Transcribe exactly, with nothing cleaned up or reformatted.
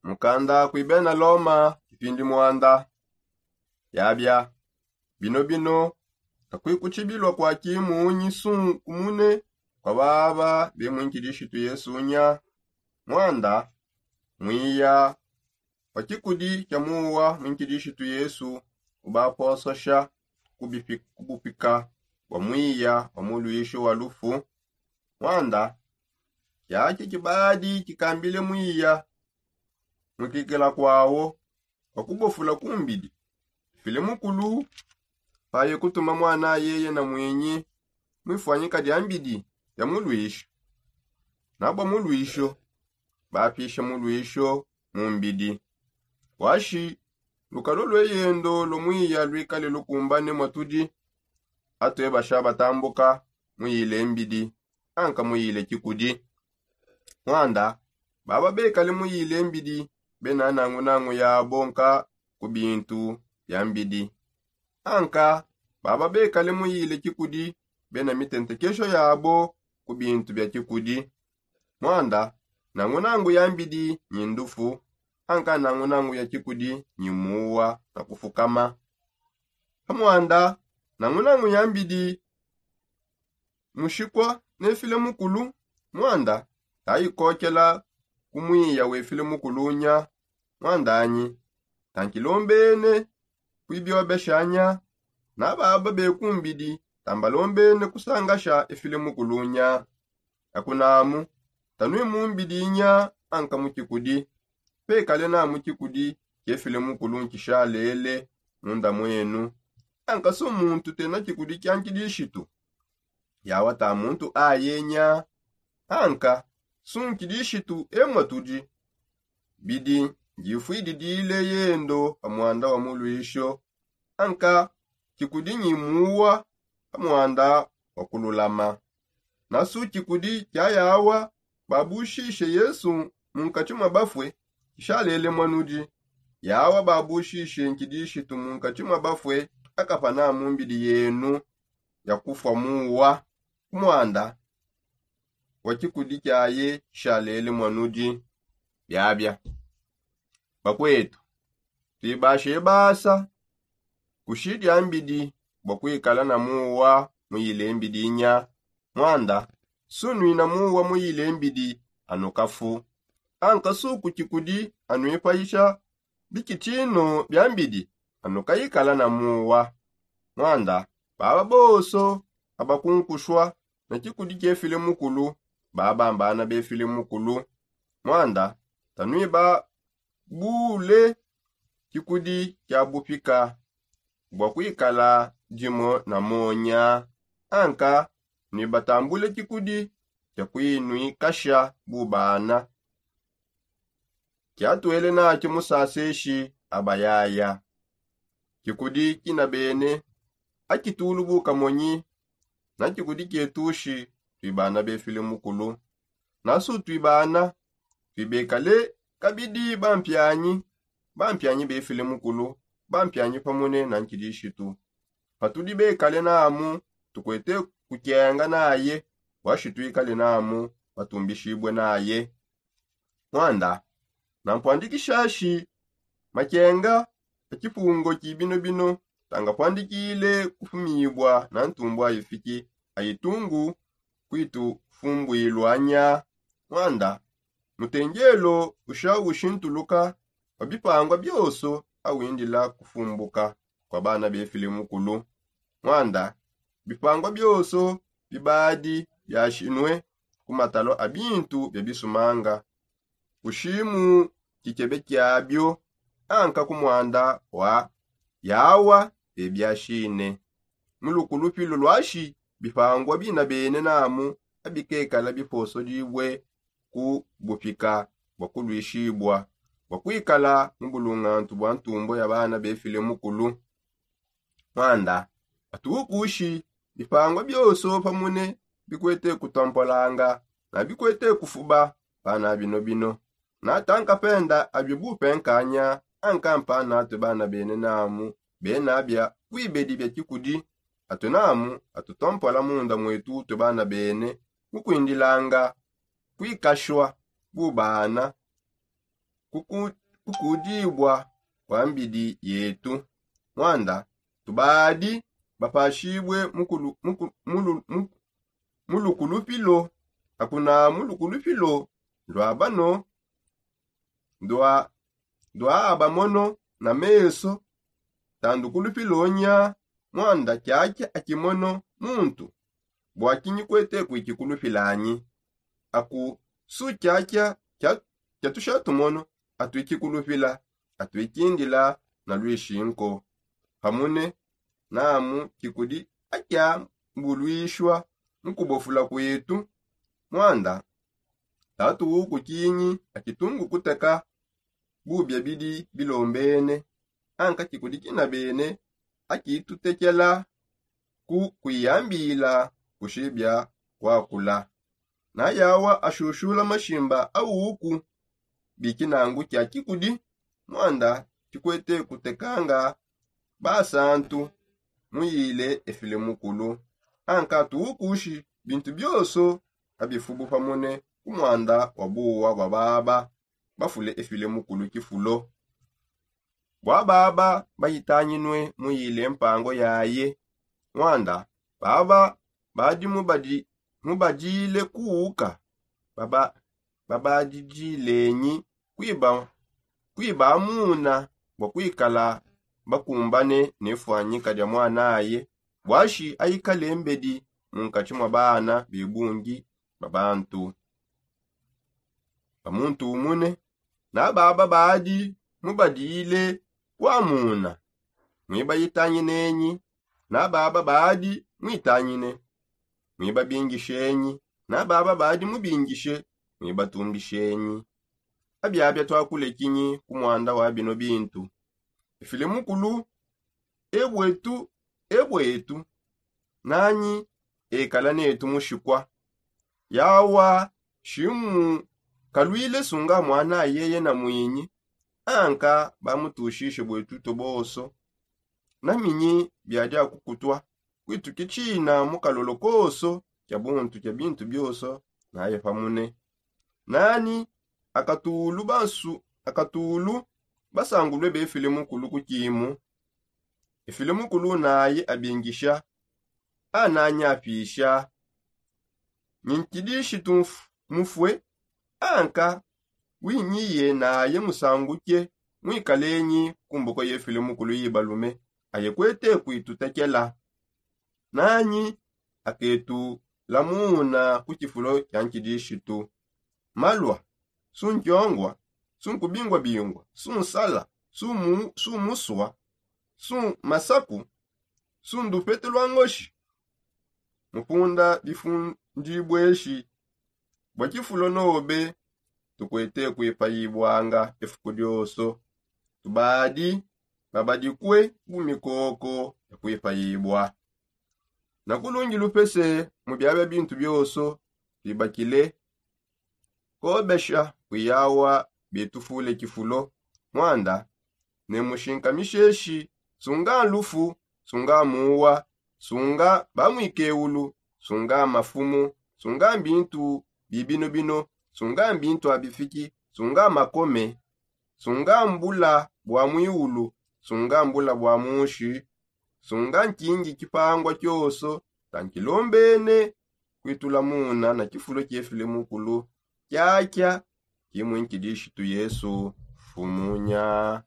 Mukanda kui bena loma kipindi muanda. Yabia bino bino, kakuikutshibilua kua kimunyi sunkumune kua baba be muinkidishitu yesu nya. Muanda muiya wa kikudi kia muwa muinkidishitu yesu ubapososha kubupika bua muiya wa muluisho wa lufu. Muanda kiaki kibadi kikambile muiya mukikila kuawo, wakubofula kumbidi file mukulu paye kutuma muana yeye na muinyi muifuanyika dia mbidi ya muluisho. Nabua muluisho bapisha muluisho mu mbidi. Washi lukalo lweyendo lua muiya luikale lukumbane mua tudi. Atue basha batambuka muyile mbidi anka muyile kikudi. Muanda baba bekale muyile mbidi bena nangunangu yabo nka ku bintu bia mbidi. Anka baba bekale muyile kikudi bena mitentekesho yabo ku bintu bia kikudi. Muanda nangunangu ya mbidi nyi ndufu, anka nangunangu ya kikudi nyi muwa na kufukama. Pamuanda nangunangu ya mbidi mushikua ne file mukulu. Muanda tayikokela ku muiya we file mukulu nya. Muandanyi tankilombene kuibiobesha nya. Nababa bekumbidi tambalombene kusangasha efile mukulu nya. Akunamu tanui mu mbidi nya anka mu kikudi. Pekale namu kikudi kiefile mukulu nkishalele munda muenu. Anka su muntu tena kikudi kia nkidishitu yawa ta muntu aye nya. Anka su nkidishitu emua tudi. Bidi ndifuididile yendo pa muanda wa muluisho. Anka kikudi nyi muwa pa muanda wa kululama. Nasu kikudi kia yawa babushishe yesu mu nkatshi mua bafue kishalele mua nudi. Yawa babushishe nkidishitu mu nkatshi mua bafue akapana mu mbidi yenu ya kufua muwa ku muanda wa kikudi kiaye kishalele mua nudi. Biabia bakuetu tuibashe basa kushi dia mbidi bua kuikala na muwa muyile mbidi nya. Muanda sunuina muwa muyile mbidi anu kafu. Anka suku kikudi anuipayisha bikitshino bia mbidi anu kayikala na muwa. Muanda baba bonso abakunkushua ne kikudi kiefile mukulu baba mbana befile mukulu. Muanda tanuiba bule kikudi kia bupika bua kuikala dimue na monya. Anka nuibatambule kikudi kia kuinuikasha bubana kiatuele natshi musaseshi abayaya. Kikudi kinabene akitulu bu kamonyi. Na kikudi kietushi tuibana befile mukulu. Nasu tuibana tuibekale kabidi bampianyi bampianyi befile mukulu bampianyi pamune na nkidishitu. Patudi bekale namu tukuete kukenga naye washi tuikale namu batumbishibue naye. Muanda nampuandikishashi makenga a kipungo ki bino bino tangapuandikile kufumibua na ntumbu a ifiki a itungu kuitufumbuilua nya. Muanda mutengelo usha ushintuluka wa bipangua bionso awindila kufumbuka kua bana befile mukulu. Muanda bipangua bionso bibadi biashinue ku matalo a bintu bia bisumanga. Kushimu kikebe kiabio anka ku muanda wa yawa bebiashine. Mu lukulupilu luashi bipangua bina bene namu abikekala biposodibue ku bupika bua kuluishibua bua kuikala mu bulungantu bua ntumbo ya bana befile mukulu. Muanda atukushi bipangua bionso pamune bikuete kutompolanga na bikuete kufuba pana bino bino. Natanka penda abio bupenkanya ankampa natue bana bene namu bena bia kuibedi bia kikudi atue namu atutompola munda muetu tue bana bene mukuindilanga kuikashua bubana kukudibua kwa mbidi yetu. Mwanda tubadi bapashibue mulukulupilo, akuna mulukulupilo ndwabano ndwaaba mono na meso tandu kulupilo nya. Mwanda kyakya akimono muntu bwakinyi kwete kwikikulupila anyi? Aku su kyakya kyatusha tumono atwikikulupila atwikindila na lwishinko. Pamune namu kikudi akyambulwishwa mukubofula kwetu. Mwanda tatu wuku kinyi akitungu kuteka bubia bidi bilombene anka kikudi kina bene akitutekela ku kwiyambila kushibia kwakula. Nayawa ashushula mashimba awuku bikinangu kya kikudi mwanda kikwete kutekanga basantu muyile efile mukulu. Anka tuwukushi bintu byoso abifubu pamone ku mwanda wa buwa bwa baba bafule efile mukulu kifulo bwa baba bayitanyinwe muyile mpango yaye. Mwanda baba badi mubadile kuuka babadidilenyi kwiba muna bwa kwikala bakumbane ne fwanyika dia mwanaye bwashi aikale mbedi munkatshi mwa bana bebungi ba bantu. Bamuntumune nababa badi mubadile kwamuna mwibayitanyinenyi nababa badi mwitanyine mwibabingishenyi nababa badi mubingishe mwibatumbishenyi. Abyabya twakule kinyi ku mwanda wa bino bintu? Efile mukulu ebwetu ebwetu nanyi ekala netu mushikwa yawa shimu kalwile sunga mwana yeye na mwinyi anka bamutushishe bwetu toboso. Naminyi byadi akukutwa kwitu kichina mu kalolo koso kya buntu kya bintu byoso naye pamune nani akatulu bansu akatulu basangulwe befile mukulu ku kimu. Efile mukulu naye abingisha ananyi apisha nyinkidishitu mufwe anka winyiye naye musanguke mwikalenyi ku mboko yefile mukulu yibalume aye kwete kwitutekela. Nanyi aketu lamuna ku kifulo kya nkidishitu malwa sunkyongwa sunkubingwabingwa sunsala sumuswa sunmasaku sundupete lwa ngoshi mupunda bifundibweshi bwa kifulo nobe tukwete kwipayibwanga efuku dyoso. Tubadi babadikwe bu mikoko ya kwipayibwa na kulungi lupese mu byabya bintu byoso bibakile kobesha kwiyawa bitufule kifulo mwanda ne mushinkamisheshi sunga lufu sunga muwa sunga bamwikeulu sunga mafumu sunga mbintu bibino bino sunga mbintu abifiki sunga makome sunga mbula bwa mwiulu sunga mbula bwa munshi sunga nkingi kipangwa kyoso tankilombene kwitula muna na kifulo kyefile mukulu kyakya kimwe nkidishitu yesu fumunya.